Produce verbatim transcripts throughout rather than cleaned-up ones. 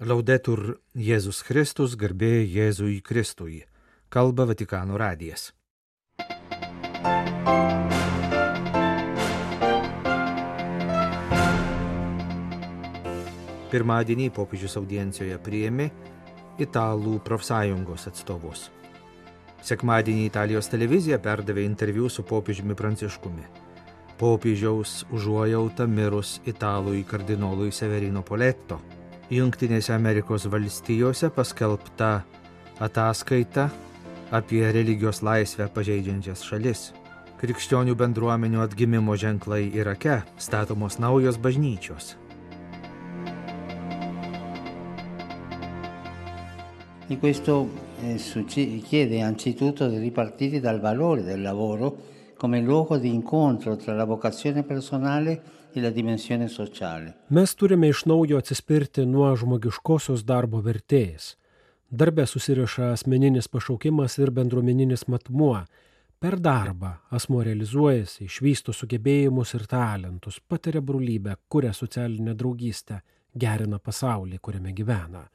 Laudetur Jėzus Kristus, garbė Jėzui Kristui. Kalba Vatikano radijas. Pirmadienį popiežius audiencijoje priėmė Italų profsąjungos atstovus. Sekmadienį Italijos televizija perdavė interviu su popiežiumi Pranciškumi. Popiežiaus užuojauta mirus italui kardinolui Severino Poletto. Jungtinėse Amerikos valstijose paskelbta ataskaita apie religijos laisvę pažeidžiančias šalis. Krikščionių bendruomenių atgimimo ženklai Irake, statomos naujos bažnyčios. E questo eh, chiede anzitutto di ripartire dal valore del lavoro come luogo di incontro tra la vocazione personale e la dimensione sociale. Mes turime iš naujo atsispirti nuo žmogiškosios darbo vertės. Darbe susiriša asmeninis pašaukimas ir bendruomeninis matmuo. Per darbą asmuo realizuojasi, išvysto sugebėjimus ir talentus, patiria brolybę, kuria socialinę draugystę, gerina pasaulį, kuriame gyvena.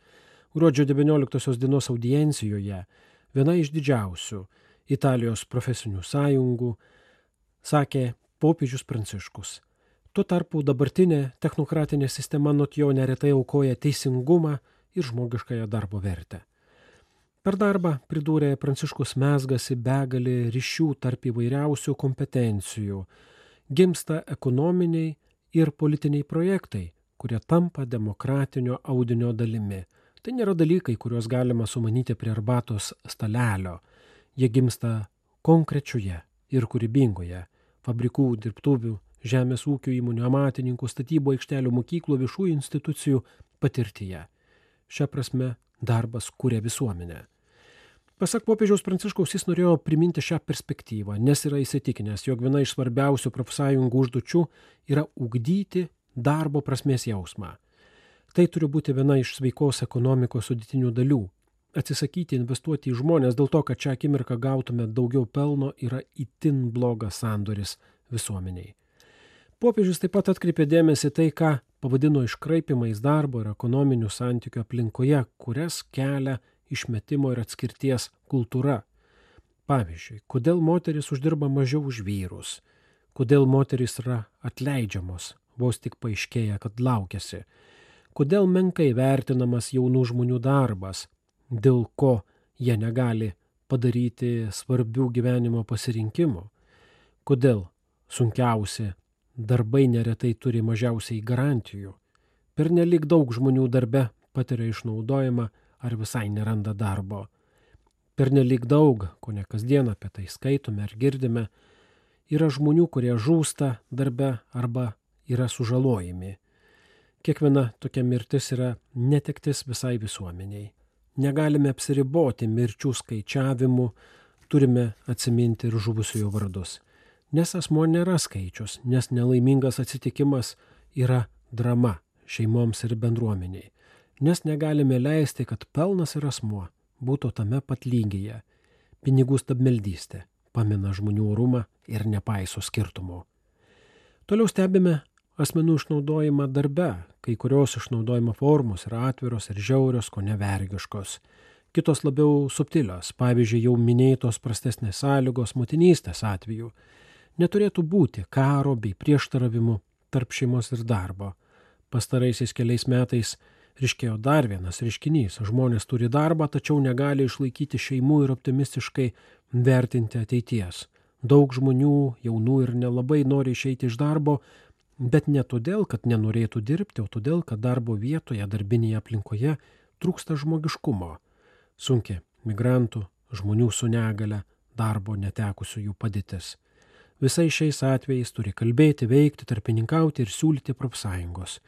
Gruodžio devynioliktosios dienos audiencijoje viena iš didžiausių Italijos profesinių sąjungų sakė popiežius Pranciškus. Tuo tarpu dabartinė technokratinė sistema nuo jo neretai aukoja teisingumą ir žmogiškąją darbo vertę. Per darbą, pridūrė Pranciškus, mezgasi begalė ryšių tarp įvairiausių kompetencijų, gimsta ekonominiai ir politiniai projektai, kurie tampa demokratinio audinio dalimi. Tai nėra dalykai, kuriuos galima sumanyti prie arbatos stalelio. Jie gimsta konkrečioje ir kūrybingoje fabrikų, dirbtuvių, žemės ūkio įmonių, amatininkų, statybų aikštelių, mokyklų, viešųjų institucijų patirtyje. Šia prasme darbas kuria visuomenę. Pasak popiežiaus Pranciškaus, jis norėjo priminti šią perspektyvą, nes yra įsitikinęs, jog viena iš svarbiausių profsąjungų užduočių yra ugdyti darbo prasmės jausmą. Tai turi būti viena iš sveikos ekonomikos sudėtinių dalių. Atsisakyti investuoti į žmonės dėl to, kad šią akimirką gautume daugiau pelno, yra itin blogas sandoris visuomeniai. Popiežius taip pat atkreipė dėmesį tai, ką pavadino iškraipimais darbo ir ekonominių santykių aplinkoje, kurias kelia išmetimo ir atskirties kultūra. Pavyzdžiui, kodėl moteris uždirba mažiau už vyrus, kodėl moteris yra atleidžiamos, vos tik paaiškėja, kad laukiasi, kodėl menkai vertinamas jaunų žmonių darbas, dėl ko jie negali padaryti svarbių gyvenimo pasirinkimų, kodėl sunkiausi darbai neretai turi mažiausiai garantijų. Pernelyg daug žmonių darbe patiria išnaudojimą ar visai neranda darbo. Pernelyg daug, ko ne kasdien apie tai skaitome ar girdime, yra žmonių, kurie žūsta darbe arba yra sužalojami. Kiekviena tokia mirtis yra netektis visai visuomeniai. Negalime apsiriboti mirčių skaičiavimu, turime atsiminti ir žuvusiųjų vardus. Nes asmuo nėra skaičius, nes nelaimingas atsitikimas yra drama šeimoms ir bendruomeniai. Nes negalime leisti, kad pelnas ir asmuo būtų tame pat lygyje. Pinigų stabmeldystė pamina žmonių orumą ir nepaiso skirtumų. Toliau stebime asmenų išnaudojimą darbe, kai kurios išnaudojimo formos yra atviros ir žiaurios, ko nevergiškos. Kitos labiau subtilios, pavyzdžiui, jau minėtos prastesnės sąlygos motinystės atveju. Neturėtų būti karo bei prieštaravimų tarp šeimos ir darbo. Pastaraisiais keliais metais ryškėjo dar vienas reiškinys. Žmonės turi darbą, tačiau negali išlaikyti šeimų ir optimistiškai vertinti ateities. Daug žmonių, jaunų ir nelabai nori išeiti iš darbo, bet ne todėl, kad nenorėtų dirbti, o todėl, kad darbo vietoje, darbinėje aplinkoje trūksta žmogiškumo. Sunki migrantų, žmonių su negale, darbo netekusių jų padėtis. Visai šiais atvejais turi kalbėti, veikti, tarpininkauti ir siūlyti profsąjungos.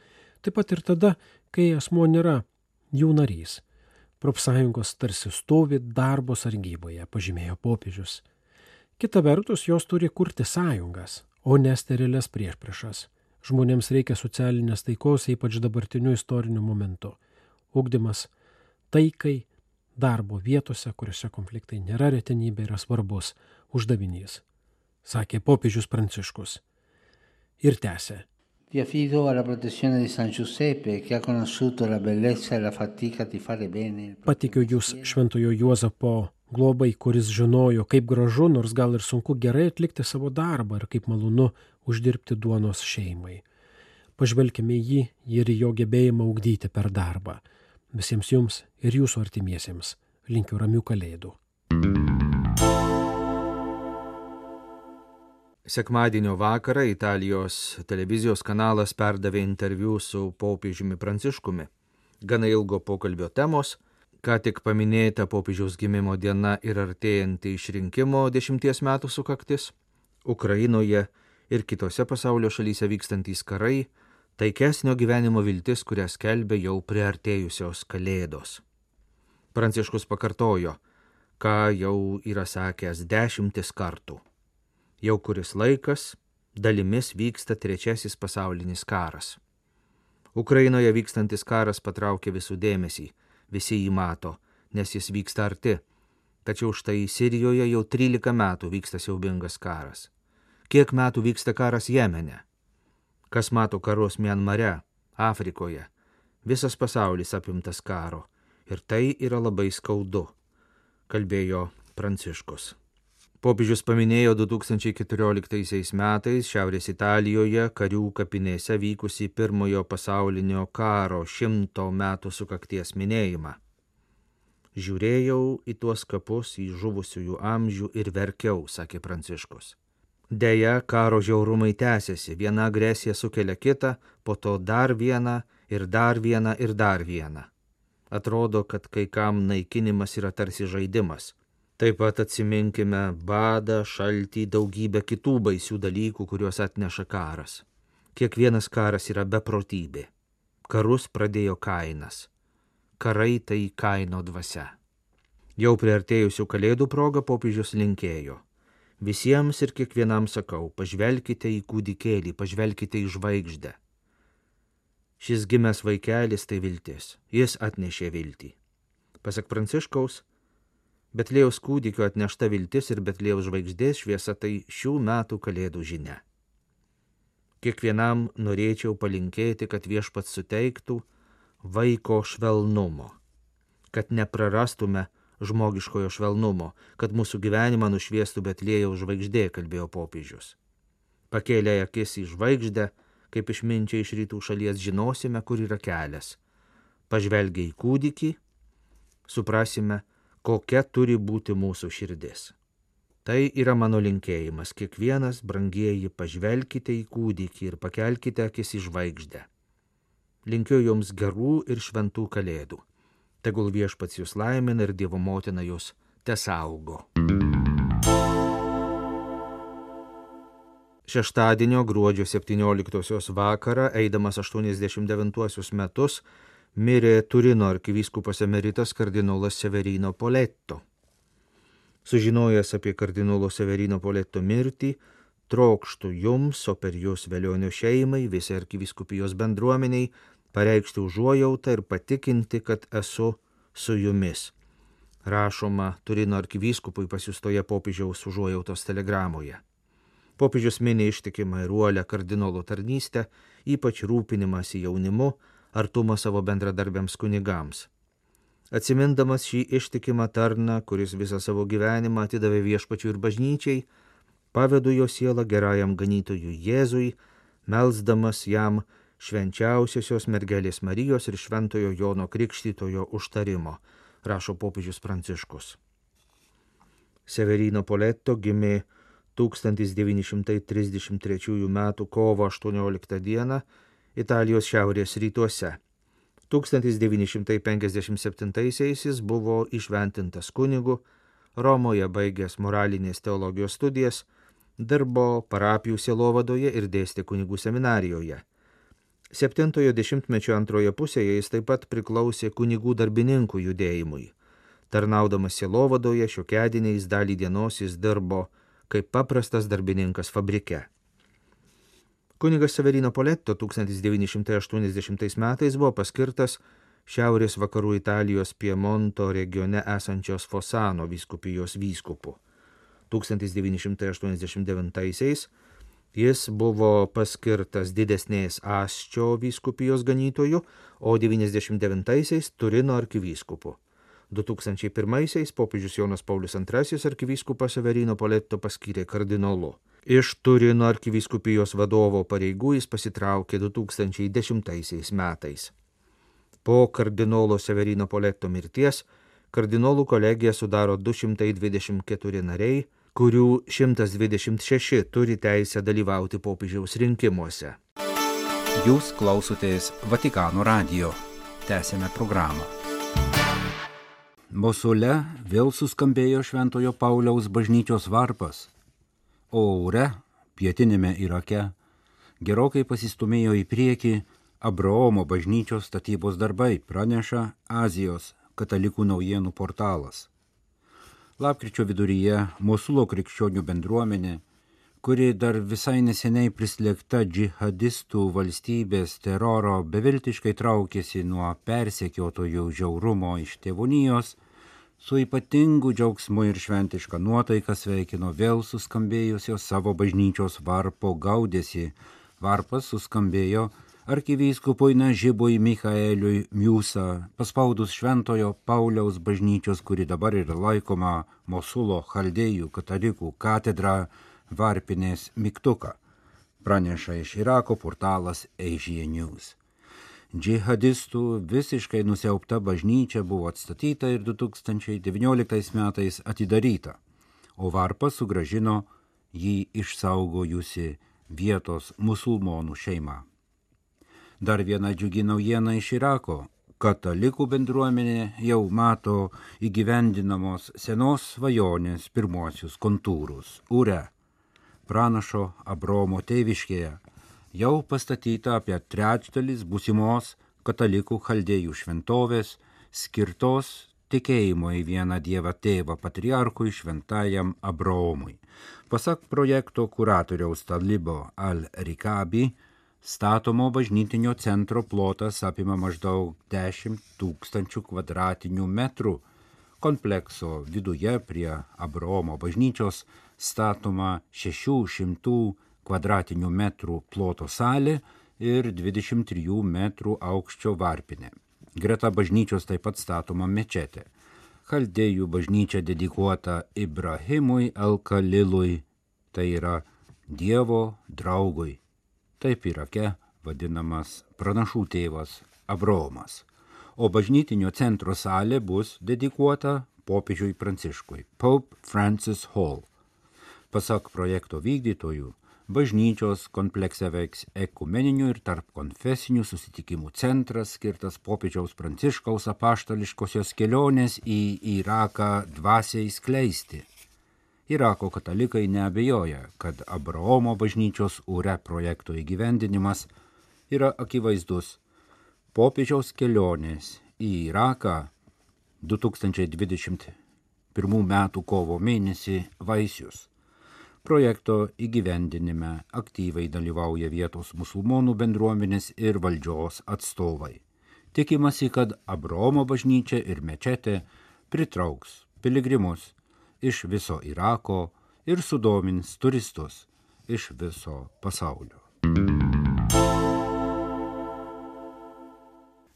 Taip pat ir tada, kai asmuo nėra jų narys. Profsąjungos tarsi stovi darbo sargyboje, pažymėjo popiežius. Kita vertus, jos turi kurti sąjungas, o ne sterilias priešpriešas. Žmonėms reikia socialinės taikos, ypač dabartiniu istoriniu momentu. Ugdymas taikai darbo vietose, kuriuose konfliktai nėra retenybė, yra svarbus uždavinys, sakė popiežius Pranciškus. Ir tęsė. Vi affido alla protezione di San Giuseppe, che ha conosciuto la bellezza e la fatica di fare bene. Patikiu jūs Šventojo Juozapo globai, kuris žinojo, kaip gražu, nors gal ir sunku gerai atlikti savo darbą ir kaip malonu uždirbti duonos šeimai. Pažvelkime į jį ir į jo gebėjimą ugdyti per darbą. Visiems jums ir jūsų artimiesiems linkiu ramių kalėdų. Sekmadienio vakarą Italijos televizijos kanalas perdavė interviu su popiežiumi Pranciškumi. Gana ilgo pokalbio temos, ką tik paminėta popiežiaus gimimo diena ir artėjanti išrinkimo dešimties metų sukaktis, Ukrainoje ir kitose pasaulio šalyse vykstantys karai, taikesnio gyvenimo viltis, kurią skelbia jau priartėjusios kalėdos. Pranciškus pakartojo, ką jau yra sakęs dešimtis kartų. Jau kuris laikas dalimis vyksta trečiasis pasaulinis karas. Ukrainoje vykstantis karas patraukia visų dėmesį, visi jį mato, nes jis vyksta arti. Tačiau štai Sirijoje jau trylika metų vyksta siaubingas karas. Kiek metų vyksta karas Jemene? Kas mato karus Mianmare, Afrikoje? Visas pasaulis apimtas karo. Ir tai yra labai skaudu, kalbėjo Pranciškus. Popiežius paminėjo du tūkstančiai keturioliktaisiais metais Šiaurės Italijoje karių kapinėse vykusį pirmojo pasaulinio karo šimto metų sukakties minėjimą. Žiūrėjau į tuos kapus, į žuvusiųjų amžių ir verkiau, sakė Pranciškus. Deja, karo žiaurumai tęsiasi, viena agresija sukelia kitą, po to dar vieną ir dar vieną ir dar vieną. Atrodo, kad kai kam naikinimas yra tarsi žaidimas. Taip pat atsiminkime badą, šaltį, daugybę kitų baisių dalykų, kuriuos atneša karas. Kiekvienas karas yra beprotybė. Karus pradėjo Kainas. Karai tai Kaino dvasia. Jau priartėjusių kalėdų proga popiežius linkėjo. Visiems ir kiekvienam sakau, pažvelkite į kūdikėlį, pažvelkite į žvaigždę. Šis gimęs vaikelis tai viltis, jis atnešė viltį. Pasak Pranciškaus, Betliejaus kūdikio atnešta viltis ir Betliejaus žvaigždės šviesa tai šių metų kalėdų žinia. Kiekvienam norėčiau palinkėti, kad viešpats suteiktų vaiko švelnumo, kad neprarastume žmogiškojo švelnumo, kad mūsų gyvenimą nušviestų Betliejaus žvaigždė, kalbėjo popiežius. Pakėlę akis į žvaigždę, kaip išminčiai iš rytų šalies žinosime, kur yra kelias. Pažvelgę į kūdikį, suprasime, kokia turi būti mūsų širdis. Tai yra mano linkėjimas. Kiekvienas, brangieji, pažvelkite į kūdikį ir pakelkite akis į žvaigždę. Linkiu jums gerų ir šventų kalėdų. Tegul viešpats jūs laimina ir Dievo motina jūs tesaugo. Šeštadienio gruodžio septynioliktosios vakarą, eidamas aštuoniasdešimt devintuosius metus, mirė Turino arkivyskupas emeritas kardinolas Severino Poletto. Sužinojęs apie kardinolo Severino Poletto mirtį, trokštu jums, o per jūs Velionio šeimai, visai arkivyskupijos bendruomeniai, pareikšti užuojautą ir patikinti, kad esu su jumis. Rašoma Turino arkivyskupui pasiųstoje popiežiaus užuojautos telegramoje. Popiežius mini ištikimą ir uolią kardinolo tarnystę, ypač rūpinimąsi jaunimu, artumą savo bendradarbiams kunigams. Atsimindamas šį ištikimą tarną, kuris visą savo gyvenimą atidavė viešpačiui ir bažnyčiai, pavedu jo sielą gerajam ganytojui Jėzui, melsdamas jam švenčiausiosios mergelės Marijos ir šventojo Jono Krikštytojo užtarimo, rašo popiežius Pranciškus. Severino Poletto gimė tūkstantis devyni šimtai trisdešimt trečiųjų metų kovo aštuonioliktą dieną Italijos šiaurės rytuose. tūkstantis devyni šimtai penkiasdešimt septintaisiais jis buvo įšventintas kunigu, Romoje baigęs moralinės teologijos studijas, dirbo parapijų sielovadoje ir dėstė kunigų seminarijoje. Septintojo dešimtmečio antroje pusėje jis taip pat priklausė kunigų darbininkų judėjimui. Tarnaudamas sielovadoje šiokiadieniais dalį dienos jis dirbo kaip paprastas darbininkas fabrike. Kunigas Severino Poletto tūkstantis devyni šimtai aštuoniasdešimtais metais buvo paskirtas šiaurės vakarų Italijos Piemonto regione esančios Fosano vyskupijos vyskupu. tūkstantis devyni šimtai aštuoniasdešimt devintaisiais Jis buvo paskirtas didesnės Asčio vyskupijos ganytoju, o devyniasdešimt devintaisiais Turino arkivyskupu. du tūkstančiai pirmaisiais popiežius Jonas Paulius antrasis arkivyskupą Severino Poletto paskyrė kardinolu. Iš Turino arkivyskupijos vadovo pareigų jis pasitraukė du tūkstančiai dešimtaisiais metais. Po kardinolo Severino Poletto mirties kardinolų kolegiją sudaro du šimtai dvidešimt keturi nariai, kurių šimtas dvidešimt šeši turi teisę dalyvauti popiežiaus rinkimuose. Jūs klausotės Vatikano radijo. Tęsėme programą. Mosule vėl suskambėjo Šventojo Pauliaus bažnyčios varpas, o ore, pietinėme Irake, gerokai pasistumėjo į priekį Abraomo bažnyčios statybos darbai, praneša Azijos katalikų naujienų portalas. Lapkričio viduryje Mosulo krikščionių bendruomenė, kuri dar visai neseniai prislėgta džihadistų valstybės teroro, beviltiškai traukėsi nuo persekiotojų žiaurumo iš tėvonijos, su ypatingu džiaugsmu ir šventiška nuotaika sveikino vėl suskambėjusio savo bažnyčios varpo gaudesį. Varpas suskambėjo arkivyskupui Nažibui Michaeliui Miusa, paspaudus Šventojo Pauliaus bažnyčios, kuri dabar yra laikoma Mosulo chaldėjų katalikų katedra, varpinės mygtuką, praneša iš Irako portalas Asia News. Džihadistų visiškai nusiaubta bažnyčia buvo atstatyta ir du tūkstančiai devynioliktais metais atidaryta, o varpas sugrąžino jį išsaugojusi vietos musulmonų šeima. Dar viena džiugi naujiena iš Irako. Katalikų bendruomenė jau mato įgyvendinamos senos svajonės pirmuosius kontūrus. Ure, pranašo Abraomo tėviškėje, jau pastatyta apie trečdalis būsimos katalikų chaldėjų šventovės, skirtos tikėjimo į vieną Dievą tėvą patriarchui šventajam Abraomui. Pasak projekto kuratoriaus Talibo al-Rikabi, statomo bažnytinio centro plotas apima maždaug dešimt tūkstančių kvadratinių metrų. Komplekso viduje prie Abraomo bažnyčios statoma šešių šimtų kvadratinių metrų ploto salė ir dvidešimt trijų metrų aukščio varpinė. Greta bažnyčios taip pat statoma mečetė. Chaldėjų bažnyčia dedikuota Ibrahimui el-Kalilui, tai yra Dievo draugui. Taip Irake vadinamas pranašų tėvas Abraomas. O bažnytinio centro salė bus dedikuota popiežiui Pranciškui, Pope Francis Hall. Pasak projekto vykdytojų, bažnyčios komplekse veiks ekumeninių ir tarp konfesinių susitikimų centras, skirtas popiežiaus Pranciškaus apaštališkosios kelionės į Iraką dvasiai skleisti. Irako katalikai neabejoja, kad Abraomo bažnyčios ure projekto įgyvendinimas yra akivaizdus popiežiaus kelionės į Iraką du tūkstančiai dvidešimt pirmų metų kovo mėnesį vaisius. Projekto įgyvendinime aktyviai dalyvauja vietos musulmonų bendruomenės ir valdžios atstovai. Tikimasi, kad Abraomo bažnyčia ir mečetė pritrauks piligrimus iš viso Irako ir sudomins turistus iš viso pasaulio.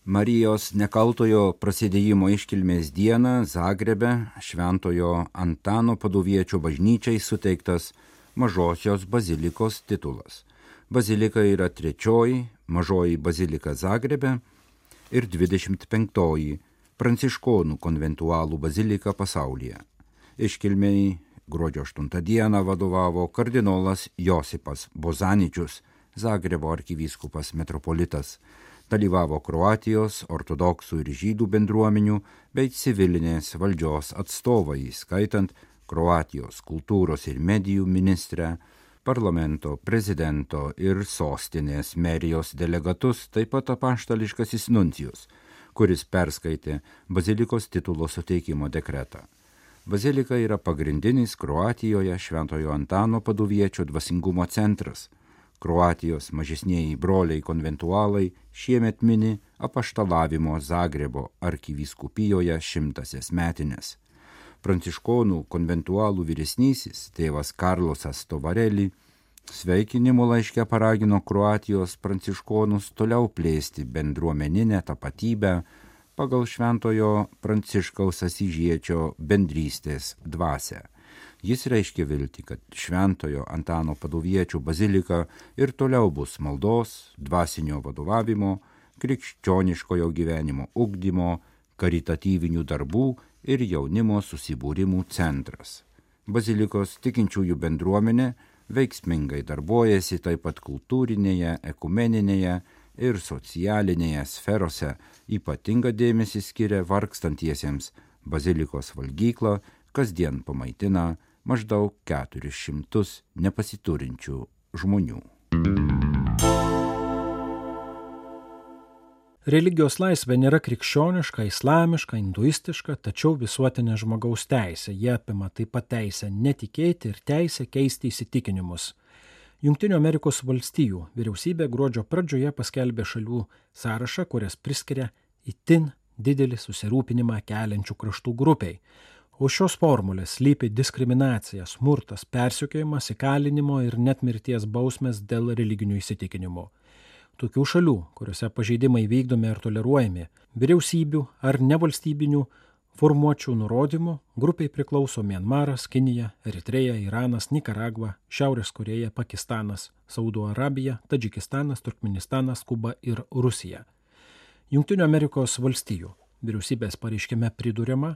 Marijos nekaltojo prasidėjimo iškilmės dieną Zagrebe Šventojo Antano Paduviečio bažnyčiai suteiktas Mažosios bazilikos titulas. Bazilika yra trečioji mažoji bazilika Zagrebe ir dvidešimt penktoji pranciškonų konventualų bazilika pasaulyje. Iškilmei gruodžio aštuntą dieną vadovavo kardinolas Josipas Bozaničius, Zagrebo arkivyskupas metropolitas. Dalyvavo Kroatijos, ortodoksų ir žydų bendruomenių bei civilinės valdžios atstovai, skaitant Kroatijos kultūros ir medijų ministrę, parlamento, prezidento ir sostinės merijos delegatus, taip pat apaštališkasis nuncijus, kuris perskaitė bazilikos titulo suteikimo dekretą. Bazilika yra pagrindinis Kroatijoje Šventojo Antano Paduviečio dvasingumo centras. Kroatijos mažesnieji broliai konventualai šiemet mini apaštalavimo Zagrebo arkivyskupijoje šimtasias metines. Pranciškonų konventualų vyresnysis tėvas Karlosas Tovareli Sveikinimo laiške paragino Kroatijos pranciškonus toliau plėsti bendruomeninę tapatybę pagal Šventojo Pranciškaus Asyžiečio bendrystės dvasią. Jis reiškė viltį, kad Šventojo Antano Paduviečio bazilika ir toliau bus maldos, dvasinio vadovavimo, krikščioniškojo gyvenimo ugdymo, karitatyvinių darbų ir jaunimo susibūrimų centras. Bazilikos tikinčiųjų bendruomenė veiksmingai darbuojasi taip pat kultūrinėje, ekumeninėje ir socialinėje sferose, ypatingą dėmesį skiria vargstantiesiems. Bazilikos valgyklą kasdien pamaitina maždaug keturis šimtus nepasiturinčių žmonių. Religijos laisvė nėra krikščioniška, islamiška, hinduistiška, tačiau visuotinė žmogaus teisė. Jie apima taip pat teisę netikėti ir teisę keisti įsitikinimus. Jungtinių Amerikos valstijų vyriausybė gruodžio pradžioje paskelbė šalių sąrašą, kurias priskiria itin didelį susirūpinimą keliančių kraštų grupiai. O šios formulės slypi diskriminacija, smurtas, persekiojimas, įkalinimo ir net mirties bausmės dėl religinių įsitikinimų. Tokių šalių, kuriuose pažeidimai vykdomi ar toleruojami, vyriausybių ar nevalstybinių formuočių nurodymų grupiai priklauso Mianmaras, Kinija, Eritreja, Iranas, Nikaragva, Šiaurės Korėja, Pakistanas, Saudo Arabija, Tadžikistanas, Turkmenistanas, Kuba ir Rusija. Jungtinių Amerikos valstijų vyriausybės pareiškime priduriama,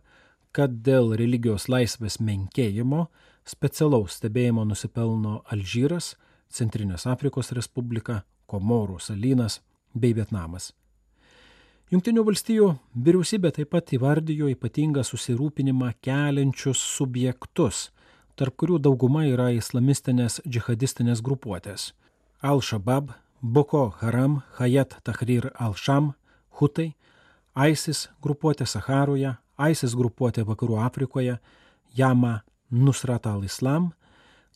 kad dėl religijos laisvės menkėjimo specialaus stebėjimo nusipelno Alžyras, Centrinės Afrikos Respublika, Komorų salynas bei Vietnamas. Jungtinių valstijų vyriausybė taip pat įvardijo ypatingą susirūpinimą keliančius subjektus, tarp kurių dauguma yra islamistinės džihadistinės grupuotės. Al-Shabaab, Boko Haram, Hayat Tahrir al-Sham, Hutai, ISIS grupuotė Saharoje, ISIS grupuotė Vakarų Afrikoje, Jama Nusrat al-Islam,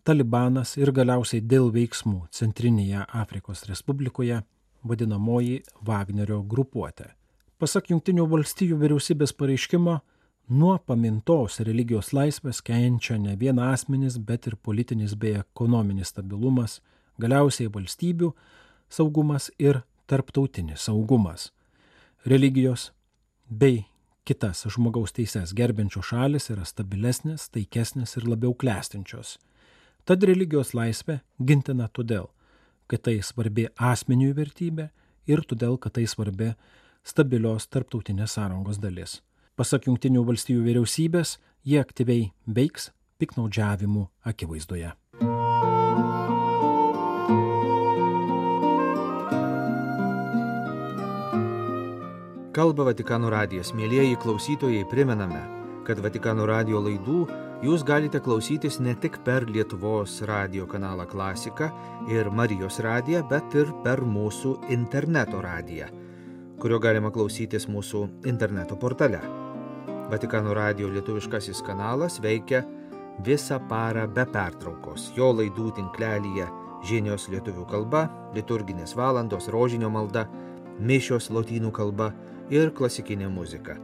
Talibanas ir galiausiai dėl veiksmų Centrinėje Afrikos Respublikoje vadinamoji Vagnerio grupuotė. Pasak Jungtinių valstijų vyriausybės pareiškimo, nuo pamintos religijos laisvės kenčia ne vien asmenys, bet ir politinis bei ekonominis stabilumas, galiausiai valstybių saugumas ir tarptautinis saugumas. Religijos bei kitas žmogaus teises gerbiančios šalis yra stabilesnės, taikesnės ir labiau klestinčios. Tad religijos laisvė gintina todėl, kad tai svarbi asmenių vertybė ir todėl, kad tai svarbi stabilios tarptautinės sąrangos dalis. Pasak Jungtinių valstijų vyriausybės, jie aktyviai veiks piktnaudžiavimų akivaizdoje. Kalba Vatikano radijas. Mielieji klausytojai, primename, kad Vatikano radijo laidų jūs galite klausytis ne tik per Lietuvos radijo kanalą Klasika ir Marijos radiją, bet ir per mūsų interneto radiją, kurio galima klausytis mūsų interneto portale. Vatikano radijo lietuviškasis kanalas veikia visą parą be pertraukos. Jo laidų tinklelyje žinios lietuvių kalba, liturginės valandos, rožinio malda, mišios lotynų kalba ir klasikinė muzika.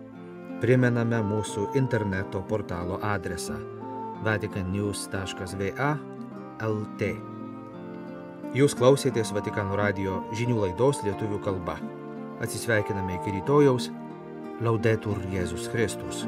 Primename mūsų interneto portalo adresą vatican news taškas v a taškas l t. Jūs klausėtės Vatikano radijo žinių laidos lietuvių kalba. Atsisveikiname iki rytojaus. Laudetur Jėzus Kristus.